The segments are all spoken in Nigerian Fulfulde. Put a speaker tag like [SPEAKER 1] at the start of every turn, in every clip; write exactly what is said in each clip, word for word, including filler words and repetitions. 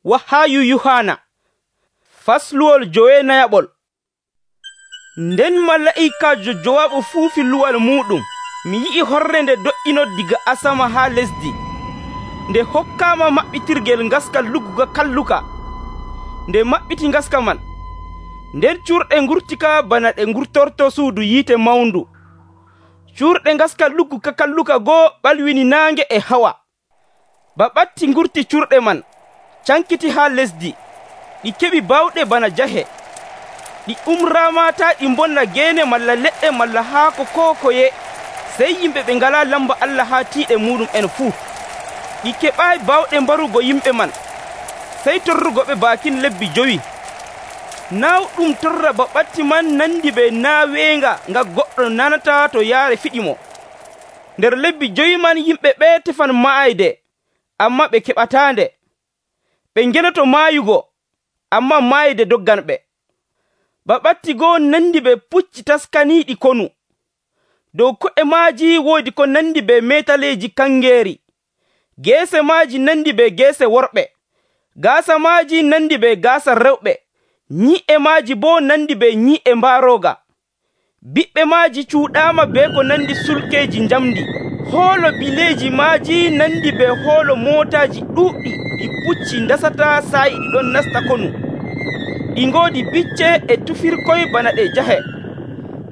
[SPEAKER 1] Wahaayu Yuhaana fasluwol jowenayaɓol. Nden malaa'ikaajo jowaɓo fuufi luwal muuɗum, mi yi'i horre nde do'ino daga asama haa lesdi. Nde hokkaama maɓɓitirgel ngaska lugguka kalluka. Nde maɓɓiti ngaska man, nden curɗe ngurtika bana ɗe ngurtorto suudu yiite mawndu. Curɗe ngaska lugguka kalluka goo ɓalwini naange e hawa. Ba ɓatti ngurti curɗe man cankiti haa lesdi, ɗi keɓi bawɗe bana jahe. Ɗi umraama taa ɗi mbonna geene malla leɗɗe malla haako koo koye, sey yimɓe ɓe ngalaa lamba Allah haa tiiɗe muuɗum en fuu. Ɗi keɓaayi bawɗe mbarugo yimɓe man, sey torrugoɓe baakin lebbi jowi. Naawɗum torra ba ɓatti man nandi be naaweenga nga goɗɗo nanataa to yaare fiɗimo. Nder lebbi jowi man yimɓe ɓee tefan maayde, ammaa ɓe keɓataande. Ɓe ngenoto maayugo, ammaa maayde dogganɓe. Ba ɓatti goo nandi be pucci taskaniiɗi konu. Dow ko'e maaji woodi ko nandi be meetaleeji kangeeri. Geese maaji nandi be geese worɓe. Gaasa maaji nandi be gaasa rewɓe. Nyi'e maaji boo nandi be nyi'e mbaarooga. Biɓɓe maaji cuuɗaama be ko nandi sulkeeji njamndi. Hoolo bileeji maaji nandi be hoolo mootaaji ɗuuɗɗi ɗi pucci ndasataa saa'i ɗiɗon nasta konu. Ɗi ngoodi bicce e tufirkoy bana ɗe jahe.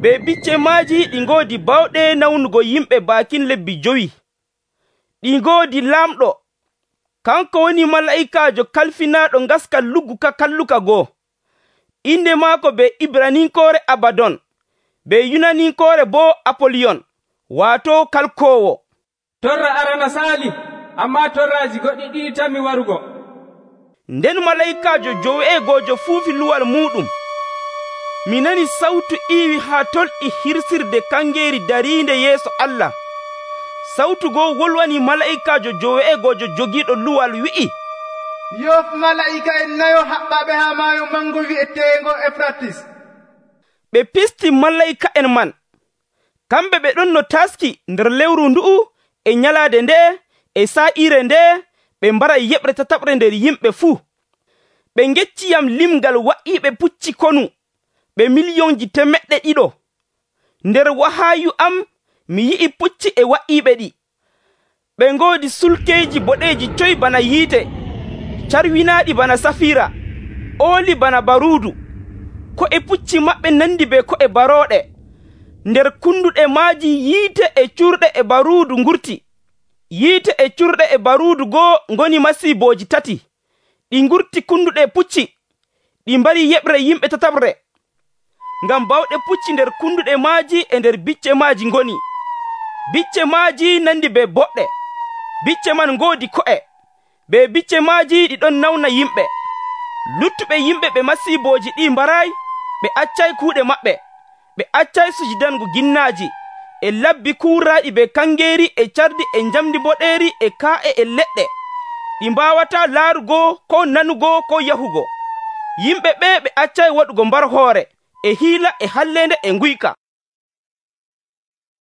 [SPEAKER 1] Be bicce maaji ɗi ngoodi bawɗe nawnugo yimɓe baakin lebbi jowi. Ɗi ngoodi laamɗo, kanko woni malaa'ikaajo kalfinaaɗo ngaska lugguka kalluka goo. Inde maako be Ibraninkoore Abadon, be Yunaninkoore boo Apoliyon, waato kalkoowo.
[SPEAKER 2] Torra arana saali, ammaa torraaji goɗɗi ɗiɗi tammi warugo.
[SPEAKER 1] Nden malaa'ikaajo joweegojo fuufi luwal muuɗum. Mi nani sawtu iiwi haa tolɗi hirsirde kangeeri dariinde yeeso Allah. Sawtu goo wolwani malaa'ikaajo joweegojo jogiiɗo luwal wi'i,
[SPEAKER 3] yof malaa'ika en nayo haɓɓaɓe haa maayo mango wi'eteengo Efratis.
[SPEAKER 1] Ɓe pisti malaa'ika en man. Kamɓe ɓe ɗon no taski nder lewru ndu'u e nyalaade nde e saa'iire nde ɓe mbaray yeɓre tataɓre nder yimɓe fuu. Ɓe ngecciyam limgal wa'iiɓe pucci konu ɓe miliyonji temeɗɗe ɗiɗo. Nder wahaayu am mi yi'i pucci e wa'iiɓe ɗi. Ɓe ngoodi sulkeeji boɗeeji coy bana yiite, carwinaaɗi bana safiira, ooli bana baruudu. Ko'e pucci maɓɓe nandi be ko'e barooɗe. Nder kunduɗe maaji yiite e curɗe e baruudu ngurti. Yiite e curɗe e baruudu goo ngoni masiibooji tati. Ɗi ngurti kunduɗe pucci, ɗi mbari yeɓre yimɓe tataɓre. Ngam bawɗe pucci nder kunduɗe maaji e nder bicce maaji ngoni. Bicce maaji nandi be boɗɗe. Bicce man ngoodi ko'e. Be bicce maaji ɗi ɗon nawna yimɓe. Luttuɓe yimɓe ɓe masiibooji ɗi mbaraay, ɓe accay kuuɗe maɓɓe. Ɓe accay sujudango ginnaaji, e labbi kuuraaɗi be kangeeri e cardi e njamndi boɗeeri e kaa'e e leɗɗe. Ɗi mbaawataa laarugo ko nanugo ko yahugo. Yimɓe ɓe ɓe accay waɗugo mbar hoore, e hiila e halleende e nguyka.